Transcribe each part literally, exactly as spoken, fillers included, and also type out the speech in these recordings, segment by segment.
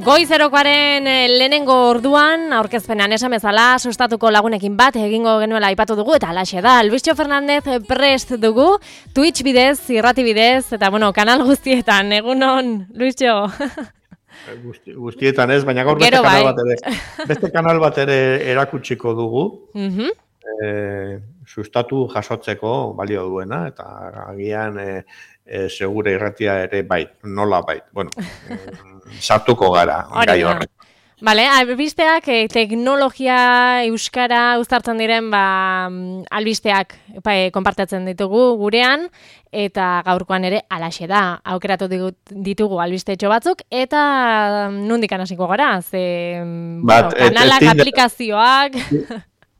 Goizerokoaren lehenengo orduan, aurkezpenean esan bezala, sustatuko lagunekin bat egingo genuela aipatu dugu, eta alaxe da, Luisio Fernandez prest dugu, Twitch bidez, irrati bidez, eta bueno, kanal guztietan, egunon, Luisio. Guzti, guztietan ez, baina gaur beste kanal, bat ere, beste kanal bat ere erakutsiko dugu, uh-huh. e, sustatu jasotzeko balio duena, eta agian e, e, segure irratia ere bai, nola bai, bueno, e, sartuko gara, gai horrek. Vale, albisteak, eh, teknologia, euskara, uztartzen diren, ba, albisteak ba, konpartatzen ditugu gurean, eta gaurkoan ere alaxe da, aukeratu ditugu albistetxo batzuk, eta nondik hasiko gara, ze Bat, bueno, kanalak, et, et, aplikazioak...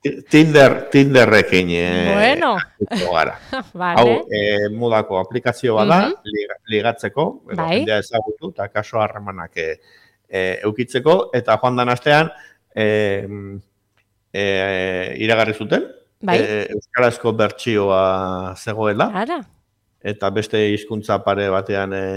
Tinder, Tinderrekin eh, bueno. gara. Vale. Hau, eh, modako aplikazioa da, uh-huh. liga, ligatzeko, edo bai. jendea ezagutu, eta kaso harremanak eh, eh, eukitzeko, eta joan dan astean, eh, eh, iragarri zuten, bai. eh, euskarazko bertsioa zegoela, Ara. eta beste hizkuntza pare batean e,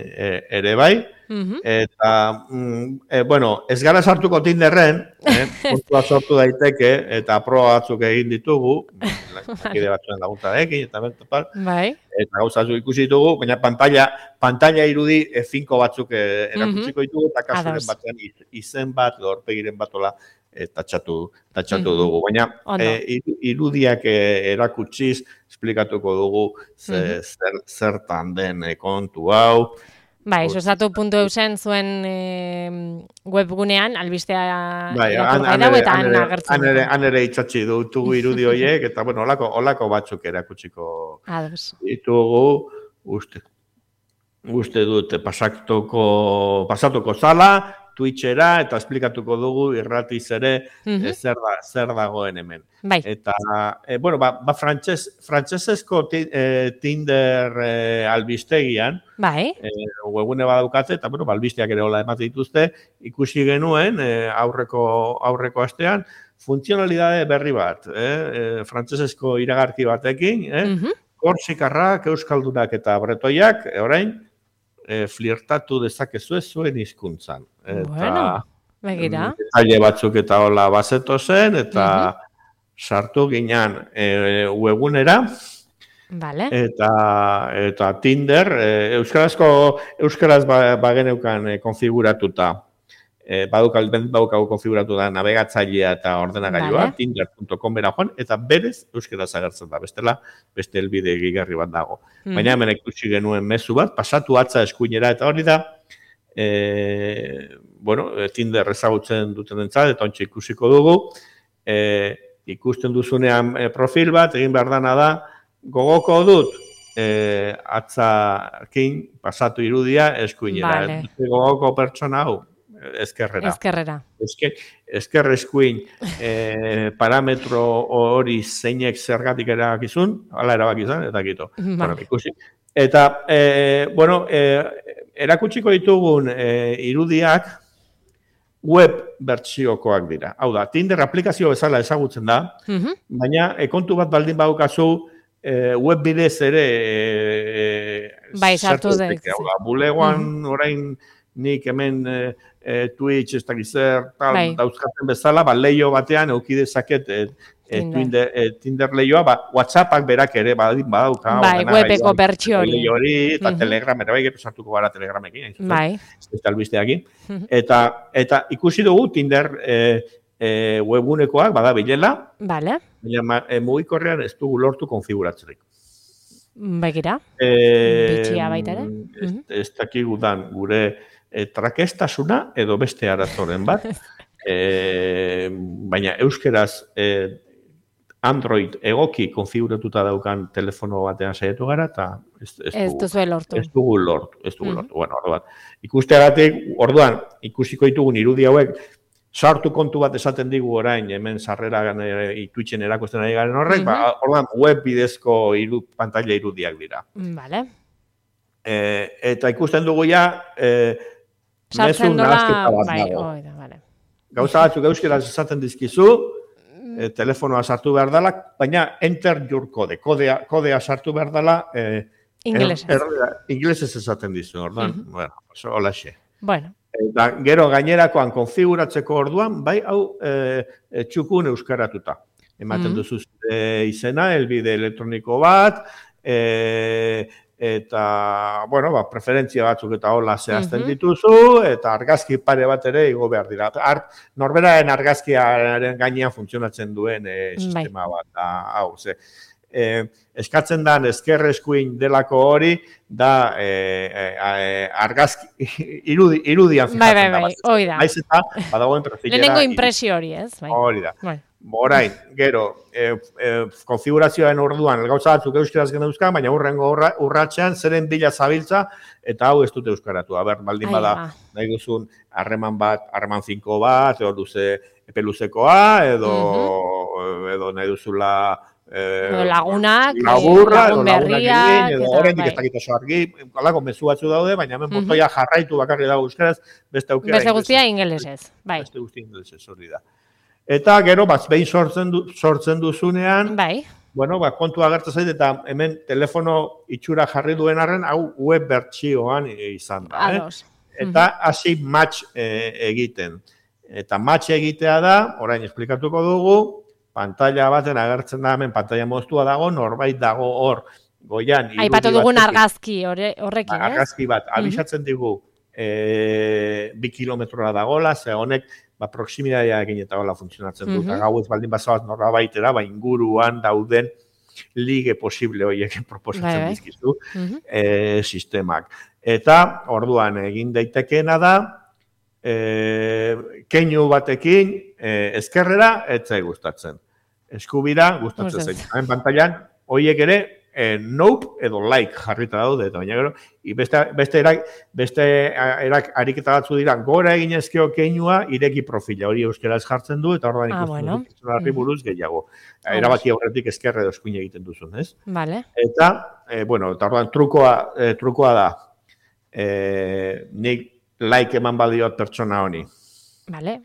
e, ere bai, uh-huh. eta, mm, e, bueno, ez gara sartuko Tinderren, eh, puntua sortu daiteke, eta proba batzuk egin ditugu, lakide batzuen laguntzarekin, eta bertopal, bai. eta gauza batzuk ikusi ditugu, baina pantalla, pantalla irudi e, finko batzuk e, erakutsiko ditugu, eta kasuren batean iz, izen bat, lorpegiren batola, E, tatxatu, tatxatu mm-hmm. dugu. Baina e, irudiak e, erakutsiz, esplikatuko dugu ze, mm-hmm. zer, zertan den e, kontu hau. Bai, sustatu puntu eusen zuen e, webgunean, albistea bai, irakurgai dago eta han agertzen. Han ere itxatzi dutugu irudi horiek, eta bueno, olako, olako batzuk erakutsiko ditugu, uste, uste dute pasatuko, pasatuko zala, Twitchera, eta esplikatuko dugu irratiz ere uh-huh. e, zer, da, zer dagoen hemen. Bai. Eta, e, bueno, ba, ba frantses, frantsesezko ti, e, Tinder e, albistegian, bai. E, webune badaukatze, eta, bueno, ba, albisteak ere hola emate dituzte, ikusi genuen e, aurreko, aurreko astean, funtzionalidade berri bat, eh? e, frantsesezko iragarki batekin, eh? uh-huh. Korsikarrak, euskaldunak eta bretoiak, e, orain, E, flirtatu dezakezu zuen hizkuntzan. Eta bueno, begira. Detaile batzuk eta hola bazeto zen, eta uh-huh. sartu ginean e, webunera, vale. eta, eta Tinder, e, euskarazko, euskaraz ba, bageneukan e, konfiguratuta, e, badukal, badukau konfiguratu da navegatzailea eta ordenagailua, vale. tinder punto com bera joan, eta berez euskaraz agertzen da, bestela, beste helbide egigarri bat dago. Mm. Baina hemen ikusi genuen mezu bat, pasatu atza eskuinera, eta hori da, e, bueno, Tinder ezagutzen duten entzat, eta ontsa ikusiko dugu, e, ikusten duzunean e, profil bat, egin behar dana da, gogoko dut, e, atzakin pasatu irudia eskuinera. Vale. Gogoko pertsona hau, ezkerrera. Ezkerrera. Ezker, ezker eskuin eh, parametro hori zeinek zergatik erabakizun, hala erabakizun, eta gito. Bueno, ikusi. Eta, eh, bueno, eh, erakutsiko ditugun eh, irudiak web bertsiokoak dira. Hau da, Tinder aplikazio bezala ezagutzen da, uh-huh. baina e, kontu bat baldin badukazu eh, web bidez ere eh, bai, sartu da. Hau da, bulegoan uh-huh. orain nik hemen e, e, Twitch, ez dakiz zer, tal, bai. dauzkaten bezala, ba, leio batean euki dezaket e, e, Tinder, e, Tinder leioa, ba, WhatsAppak berak ere badin badauka. Bai, webeko bertsio hori. Leio hori, eta uh-huh. Telegram, ere bai, gero sartuko gara Telegramekin. Bai. Eta albisteakin. Uh-huh. Eta, eta ikusi dugu Tinder e, e, webunekoak, bada bilela, vale. baina e, mugikorrean ez dugu lortu konfiguratzerik. Begira, e, bitxia baita ere. Ez, ez dakigu dan gure E, trakestasuna edo beste arazoren bat, e, baina euskeraz e, Android egoki konfiguratuta daukan telefono batean saiatu gara, eta ez, ez, ez dugu lortu. Ez dugu lortu, ez dugu mm-hmm. lortu. Bueno, orduan, ikusteagatik, orduan, ikusiko ditugun irudi hauek, sartu kontu bat esaten digu orain, hemen sarrera e, Twitchen erakusten ari garen horrek, mm-hmm. ba, orduan, web bidezko iru, pantalla irudiak dira. Vale. E, eta ikusten dugu ja, e, sartzen dola, bai, oida, vale. Gauza batzuk euskeraz esaten dizkizu, e, telefonoa sartu behar dela, baina enter your code, kodea, kodea sartu behar dela, e, inglesez. Er, er, inglesez esaten dizu, ordan, uh-huh. bueno, oso hola xe. Bueno, Eta gero gainerakoan konfiguratzeko orduan, bai, hau e, e, txukun euskaratuta. Ematen duzu zure izena, helbide elektroniko bat, e, eta, bueno, ba, preferentzia batzuk eta hola zehazten dituzu, eta argazki pare bat ere igo behar dira. Ar, norberaren argazkiaren gainean funtzionatzen duen e, sistema bat, da, hau, ze. Eh, eskatzen da ezker eskuin delako hori da eh, eh, argazki irudi, irudian fijatzen bai, bai, bai, hori da. Baiz eta badagoen perfilera. Lehenengo impresio hori, ez? Bai. Hori da. Bai. Orain, gero, eh, eh, konfigurazioaren orduan, gauza batzuk euskaraz geneuzka, baina urrengo urra, urratxean zeren bila zabiltza, eta hau ez dute euskaratu. Aber, baldin bada, nahi duzun, harreman bat, harreman finko bat, edo luze, epe luzekoa, edo, uh-huh. edo nahi duzula, edo lagunak, laburra, lagun berriak, edo horrendik ez dakit oso argi, kalako mezu batzu daude, baina hemen botoia jarraitu bakarri dago euskaraz, beste aukera beste guztia ingelesez, bai. Beste guztia ingelesez, hori da. Eta gero, bat, behin sortzen, du, sortzen duzunean, bai. Bueno, ba, kontu agertzen zait, eta hemen telefono itxura jarri duen arren, hau web bertsioan izan da. Eh? Eta hasi match e, egiten. Eta match egitea da, orain esplikatuko dugu, pantalla baten agertzen da hemen, pantalla moztua dago, norbait dago hor, goian. Aipatu dugun argazki horrekin, ez? Argazki bat, abisatzen digu, e, bi kilometrora dagola, ze honek, ba, proximitatearekin eta hola funtzionatzen du, eta gau ez baldin bazabat norbaitera, ba, inguruan dauden ligue posible horiek proposatzen dizkizu e, sistemak. Eta, orduan, egin daitekeena da, E, keinu batekin e, ezkerrera etzai gustatzen. Eskubira gustatzen zain. Hemen pantailan, horiek ere, e, nope edo like jarrita daude, eta baina gero, beste, beste, erak, beste erak ariketa batzu dira, gora egin ezkeo keinua, ireki profila, hori euskaraz jartzen du, eta orduan ikusten ah, bueno. du, buruz gehiago. Erabaki horretik ezkerre edo eskuin egiten duzun, ez? Vale. Eta, e, bueno, eta orduan trukoa, e, trukoa da, e, nik like eman badiot pertsona honi. Vale.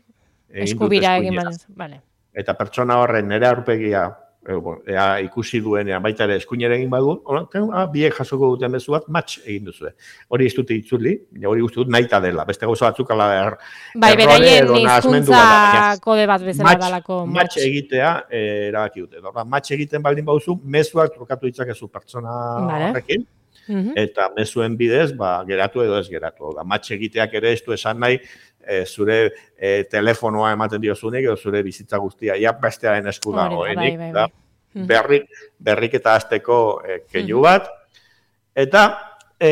Eskubira egin badiot. Vale. Eta pertsona horren nire aurpegia ea, ikusi duenean, baita ere eskuinera egin badu, ah, biek jasoko duten bezu bat, match egin duzue. Hori ez dute itzuli, hori guzti dut naita dela. Beste gauza batzuk ala er, bai, beraien hizkuntza kode bat bezala dalako. Match egitea erabaki dute. Match egiten baldin baduzu, mezuak trukatu ditzakezu pertsona horrekin. Uhum. Eta mezuen bidez, ba, geratu edo ez geratu. Da, matx egiteak ere ez du esan nahi, e, zure e, telefonoa ematen diozunik, edo zure bizitza guztia, ja bestearen esku dago. Bai, bai, bai. Da, berrik, berrik eta azteko e, keinu bat. Eta... E,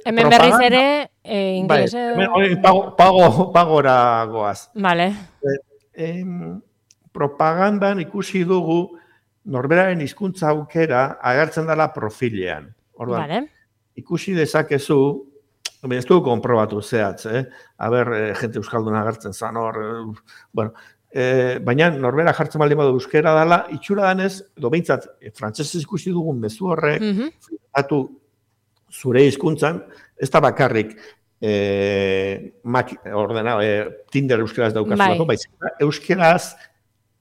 hemen berriz ere, e, ingeles... Bai, hemen, pago, pago, pagora goaz. Vale. E, e, propagandan ikusi dugu, norberaren hizkuntza aukera agertzen dela profilean. Orduan, vale. Ikusi dezakezu, ez dugu konprobatu zehatz, eh? Aber, eh, jente euskalduna agertzen zan hor, eh, bueno, eh, baina norbera jartzen baldin badu euskera dela, itxura danez, edo behintzat, eh, frantsesez ikusi dugun mezu horrek, mm-hmm. zure hizkuntzan, ez da bakarrik eh, mak, ordena, eh, Tinder euskaraz daukazulako, bai. Euskaraz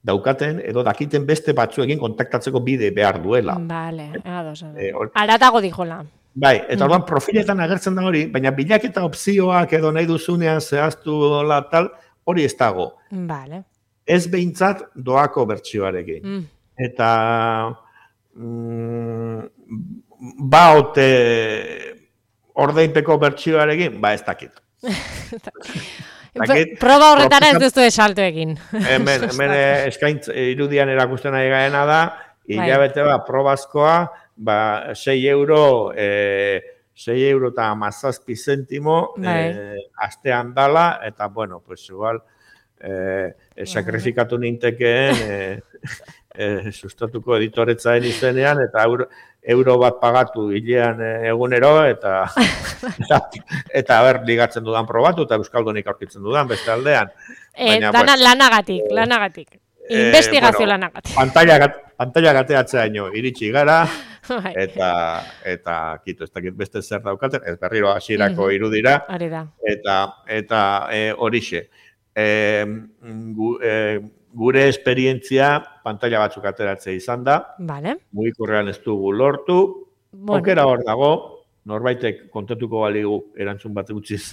daukaten, edo dakiten beste batzuekin kontaktatzeko bide behar duela. Vale, ados, ados. E, aratago dijola. Bai, eta orduan mm. profiletan agertzen da hori, baina bilaketa opzioak edo nahi duzunean zehaztu dola tal, hori ez dago. Vale. Ez behintzat doako bertsioarekin. Mm. Eta mm, baote ordeinpeko bertsioarekin, ba ez dakit. Dakit, proba horretara ez duzu esalto egin. Hemen, hemen eskaintz irudian erakusten nahi gaena da, hilabete ba, probazkoa, ba, sei euro, e, sei euro eta mazazpi zentimo e, astean dala, eta, bueno, pues igual, e, e, sakrifikatu nintekeen, e, e, sustatuko editoretzaen izenean, eta euro, euro bat pagatu hilean egunero, eta eta, eta ber, ligatzen dudan probatu, eta euskaldunik aurkitzen dudan, beste aldean. E, Baina, dana, pues, lanagatik, eh, lanagatik. Investigazio bueno, lanagatik. Pantalla, pantalla gateatzea ino, iritsi gara, eta, eta kito, ez dakit beste zer daukaten, ez berriro hasierako mm-hmm. irudira, eta, eta e, horixe. E, gu, e, gure esperientzia pantalla batzuk ateratzea izan da, vale. Mugikorrean ez dugu lortu, bueno. Okera hor dago, norbaitek kontatuko baligu erantzun bat utziz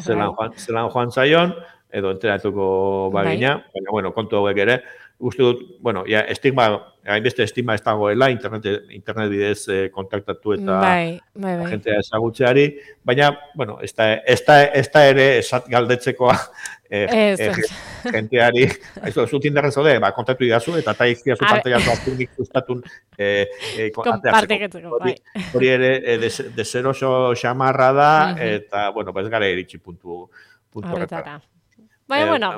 zelan joan, zelan joan zaion, edo enteratuko bagina, bai. Baina, bueno, kontu hauek ere, uste dut, bueno, ja, estigma, hainbeste estigma ez dagoela, internet, internet bidez eh, kontaktatu eta bai, bai, bai. jentea ezagutzeari, baina, bueno, ez da, ez da, ez da ere esat galdetzekoa eh, eh, jenteari, aizu, zu tinderren zode, ba, kontaktu idazu, eta eta izkiazu parteiatu aztunik ustatun eh, eh, konpartiketzeko, bai. Hori ere, eh, deseroso xamarra da, eta, bueno, ez gara iritsi puntu, puntu horretara. Baina, bueno,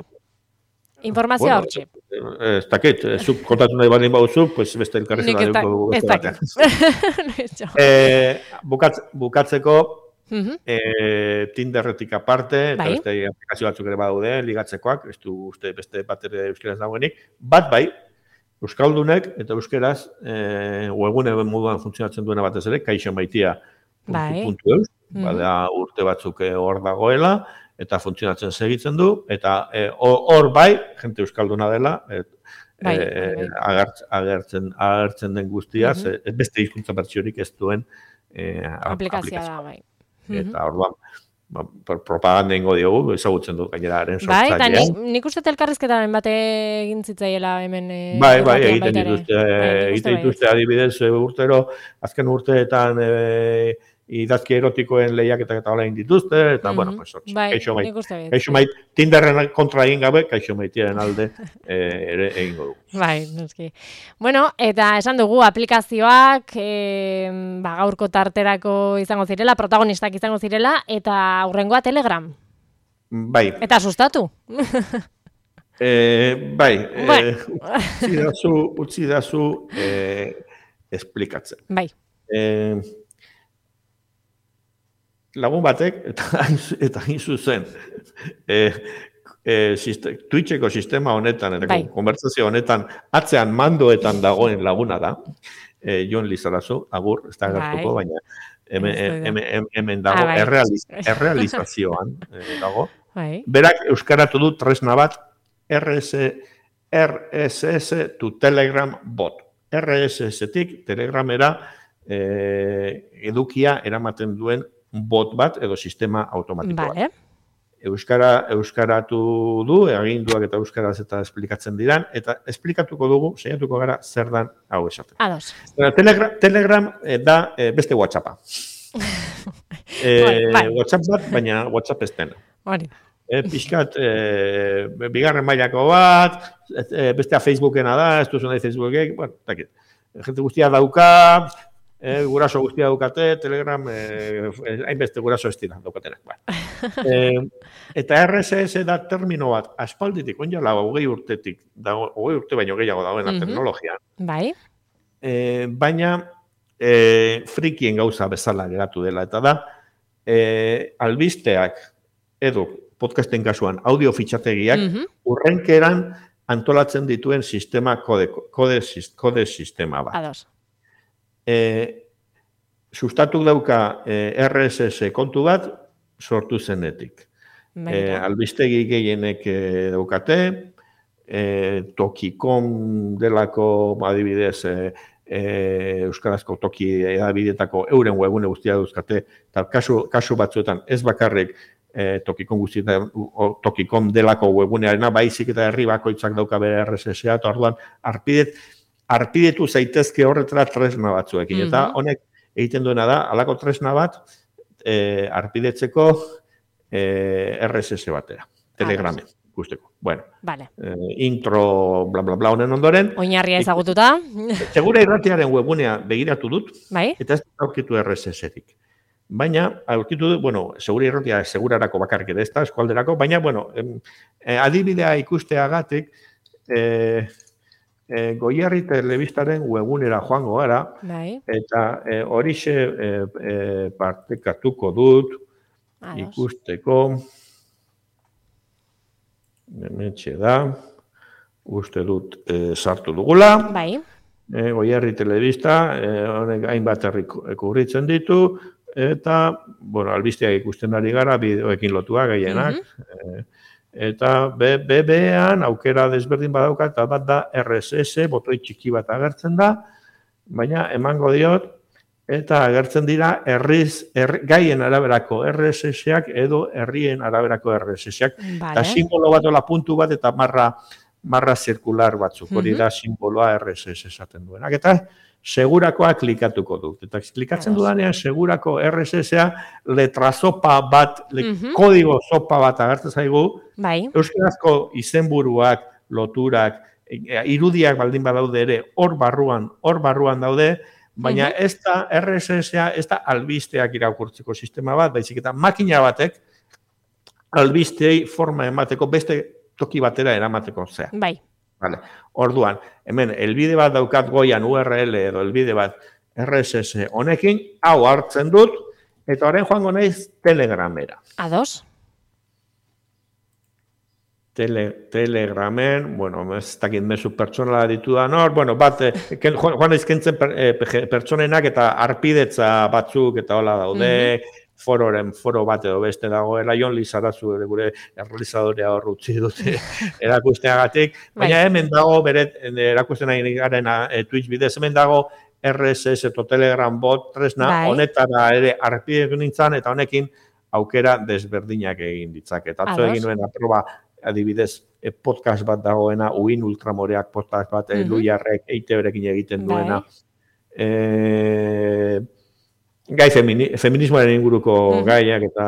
informazioa bueno, hortxe. Ez dakit, zuk kontatu nahi baldin bauzu, pues beste elkarrezko da dugu beste batean. eh, bukatz, bukatzeko, uh-huh. eh, Tinderretik aparte, eta bai. Beste aplikazio batzuk ere badaude, ligatzekoak, ez du uste beste bat ere euskeraz dagoenik, bat bai, euskaldunek eta euskeraz eh, webgune moduan funtzionatzen duena batez ere, kaixo maitia bai. puntu eus, uh-huh. Bada urte batzuk hor dagoela, eta funtzionatzen segitzen du, eta hor e, bai, jente euskalduna dela, et, bai, e, bai. Agertzen, agertzen, agertzen den guztia, uh-huh. ze, beste hizkuntza bertsiorik ez duen e, aplikazioa da, bai. Eta orduan, ba, propaganda ingo diogu, ezagutzen du gaineraren sortzailea. Bai, eta nik, nik uste elkarrizketaren bate egin zitzaiela hemen... E, bai, bai, egiten dituzte, egiten dituzte adibidez urtero, azken urteetan... E, idazki erotikoen lehiaketak eta hola dituzte, eta, mm-hmm. bueno, pues, hortz, bai, kaixo mait, kaixo mait, Tinderren kontra egin gabe, kaixo maitiaren alde eh, ere egingo du. Bai, noski. Bueno, eta esan dugu, aplikazioak, eh, ba, gaurko tarterako izango zirela, protagonistak izango zirela, eta aurrengoa Telegram. Bai. Eta sustatu. eh, bai, bai. Eh, utzi dazu, utzi dazu eh, esplikatzen. Bai. Eh, lagun batek, eta eta hain zuzen, e, e, siste, Twitcheko sistema honetan, eta bai. Konbertsazio honetan, atzean mandoetan dagoen laguna da, e, Jon Lizarazu, agur, ez da gertuko, bai. Baina hemen, hemen, hemen dago, ah, bai. errealiz, errealizazioan e, dago. Bai. Berak euskaratu du tresna bat, R S S to Telegram bot. R S S-tik Telegramera e, edukia eramaten duen bot bat edo sistema automatiko bat. Vale. Euskara, euskaratu du, aginduak eta euskaraz eta esplikatzen diran, eta esplikatuko dugu, saiatuko gara, zer dan hau esaten. Ados. Telegram, Telegram eh, da eh, beste WhatsAppa. eh, bai, bai. WhatsApp bat, baina WhatsApp ez dena. Hori. Eh, pixkat, eh, bigarren mailako bat, eh, bestea Facebookena da, ez duzu nahi Facebookek, bueno, takit. Gente guztia dauka, Eh, guraso guztia daukate, Telegram, eh, hainbeste guraso ez dira daukatenak. eh, eta R S S da termino bat, aspalditik, onjala, hogei urtetik, dago, hogei urte baino gehiago dagoena mm-hmm. teknologian. Bai. Eh, baina, eh, frikien gauza bezala geratu dela, eta da, eh, albisteak, edo, podcasten kasuan, audio fitxategiak, mm-hmm. urrenkeran antolatzen dituen sistema, kode, kode, kode sistema bat. Ados. E, sustatuk dauka e, R S S kontu bat sortu zenetik. E, albistegi gehienek e, daukate, e, Tokikom delako adibidez e, e, euskarazko toki edabidetako euren webune guztia dauzkate, eta kasu, kasu batzuetan ez bakarrik e, Tokikom guztietan, Tokikom delako webunearena, baizik eta herri bakoitzak dauka bere R S S-a, eta orduan arpidet, arpidetu zaitezke horretara tresna batzuekin. Mm-hmm. Eta honek egiten duena da, halako tresna bat e, arpidetzeko e, R S S batera, Telegramen, guzteko. Bueno, vale. e, intro, bla, bla, bla, honen ondoren. Oinarria ezagututa. Segura irratiaren webunea begiratu dut, bai? Eta ez aurkitu R S S-etik. Baina, aurkitu dut, bueno, segura irratia segurarako bakarrik ere ez da, eskualderako, baina, bueno, e, adibidea ikusteagatik, e, E, Goierri telebistaren webunera joango gara, bai. Eta e, horixe e, e, partekatuko dut, Ados. Ikusteko, hemetxe da, uste dut e, sartu dugula, bai. E, Goierri telebista, e, honek hainbat herri kubritzen ditu, eta, bueno, albisteak ikusten ari gara, bideoekin lotua gehienak, mm-hmm. e, Eta B B-an aukera desberdin badauka, eta bat da R S S, botoi txiki bat agertzen da, baina emango diot eta agertzen dira herriz, herri, gaien araberako R S S-ak edo herrien araberako R S S-ak. Vale. Eta simbolo bat, ola puntu bat, eta marra, marra zirkular batzuk. Hori da simboloa R S S esaten duenak. Eta segurakoa klikatuko dut. Eta klikatzen dudanean segurako R S S-a letra sopa bat, le, uh-huh. kodigo sopa bat agertzen zaigu. Bai. Euskarazko izenburuak, loturak, irudiak baldin badaude ere, hor barruan, hor barruan daude, baina uh-huh. ez da R S S-a, ez da albisteak irakurtzeko sistema bat, baizik eta makina batek albisteei forma emateko beste toki batera eramateko zea. Bai. Vale. Orduan, hemen, elbide bat daukat goian U R L edo elbide bat R S S honekin, hau hartzen dut, eta orain joango naiz Telegramera. Ados? Tele, Telegramen, bueno, ez dakit mezu pertsonala ditu da, nor, bueno, bat, ken, joan izkentzen per, eh, pertsonenak eta arpidetza batzuk eta hola daude, mm-hmm. fororen, foro bat edo beste dagoela, Jon Lizarazu ere gure errealizadorea hor utzi dute erakusteagatik, baina hemen dago, bere erakusten ari garen e, Twitch bidez, hemen dago R S S eto Telegram bot tresna, bai. Honetara ere arpidetu nintzen, eta honekin aukera desberdinak egin ditzaket. Atzo egin nuen aproba, adibidez, podcast bat dagoena, Uin Ultramoreak podcast bat, mm-hmm. Luiarrek, Eiteberekin egiten duena. E, gai femini, feminismoaren inguruko mm-hmm. gaiak eta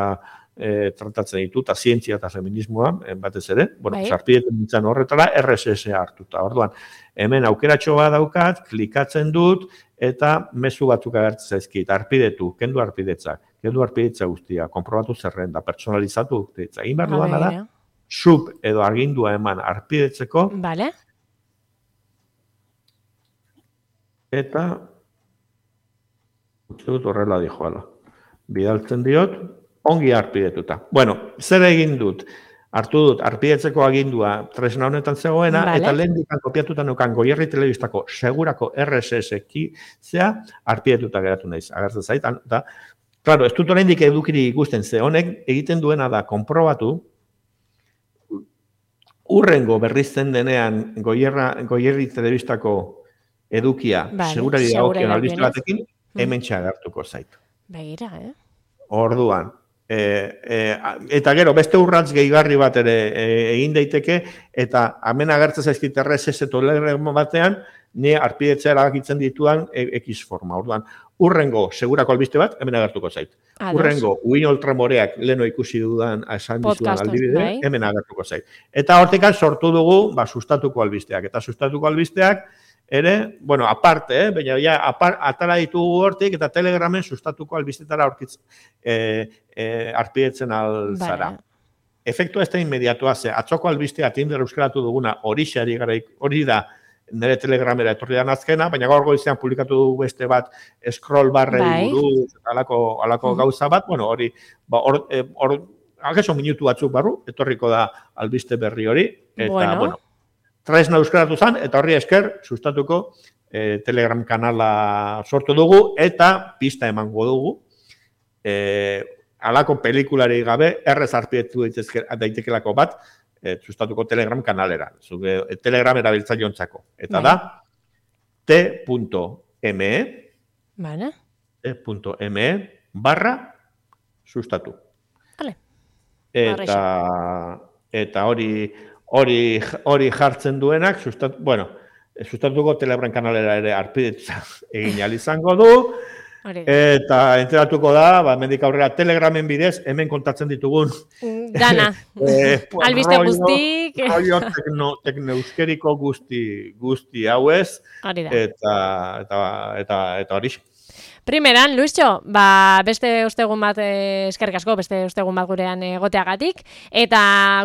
e, tratatzen ditu, eta zientzia eta feminismoa, batez ere, bueno, sarpidetzen nintzen horretara, R S S hartuta. Orduan, hemen aukeratxo bat daukat, klikatzen dut, eta mezu batzuk agertzen zaizkit, arpidetu, kendu arpidetzak, kendu arpidetza guztia, konprobatu zerrenda, personalizatu arpidetza. Egin behar duana da, sub edo argindua eman arpidetzeko. Vale. Eta uste dut horrela dijoala. Bidaltzen diot, ongi arpidetuta. Bueno, zer egin dut? Hartu dut, arpidetzeko agindua tresna honetan zegoena, vale. Eta lehen dikan kopiatuta nukan Goierri Telebistako segurako R S S zea arpidetuta geratu naiz. Agertzen zait, eta, claro, ez dut oraindik edukiri ikusten ze, honek egiten duena da, konprobatu, urrengo berrizten denean Goierra, Goierri Telebistako edukia, vale, segurari dagokion albiste batekin, hemen txagartuko zaitu. Begira, eh? Orduan, e, e, eta gero, beste urratz gehigarri bat ere e, egin daiteke, eta hemen agertzen zaizkit R S S Telegram batean, ni arpidetzea erabakitzen dituan X forma. Orduan, urrengo segurako albiste bat, hemen agertuko zait. Ados. Urrengo, Uin Ultramoreak leno ikusi dudan esan dizudan aldibide, hemen agertuko zait. Eta hortikan sortu dugu, ba, sustatuko albisteak. Eta sustatuko albisteak, ere, bueno, aparte, eh, baina ja, apar, atara ditugu hortik, eta Telegramen sustatuko albistetara aurkitzen, e, e, arpidetzen alzara. Efektua ez da inmediatua, ze, atzoko albistea Tinder euskaratu duguna hori xari gara, hori da, nire Telegramera etorri da azkena, baina gaur goizean publikatu dugu beste bat scroll barrei buruz, alako, alako mm. gauza bat, bueno, hori, ba, hor, hor, algeso minutu batzuk barru, etorriko da albiste berri hori, eta, bueno, bueno tresna euskaratu zen, eta horri esker, sustatuko eh, Telegram kanala sortu dugu, eta pista emango dugu, eh, alako pelikulari gabe, errez arpietu daitekelako bat, E, sustatuko Telegram kanalera, zuge, Telegram erabiltzailontzako. Eta da, t.me vale. t.me barra sustatu. Vale. Eta, eta hori, hori, hori jartzen duenak, sustat, bueno, sustatuko Telegram kanalera ere arpidetza egin izango du, eta enteratuko da, ba, mendik aurrera Telegramen bidez, hemen kontatzen ditugun dana, eh, albiste guztik rollo tekno, tekneuskeriko guzti guzti hauez eta eta eta eta hori. Primeran, Luisxo, ba, beste ostegun bat eskerrik asko, beste ostegun bat gurean egoteagatik, eta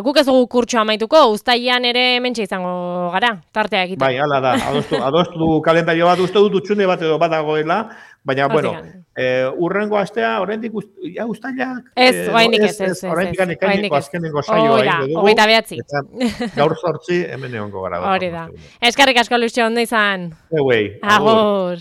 guk ez dugu kurtsoa amaituko, uztailean ere hementxe izango gara, tartea egiten. Bai, hala da, adostu, adostu du kalendario bat, uste dut utxune bat edo badagoela, baina, bueno, eh, urrengo astea, oraindik ja uztailak... Ez, oraindik ez, ez, ez. Oraindik ekaineko azkenengo saioa egin dugu. Hogeita behatzi. Gaur sortzi, hemen egongo gara. Hori da. Eskerrik asko, Luisxo, ondo izan. Euei. Agur.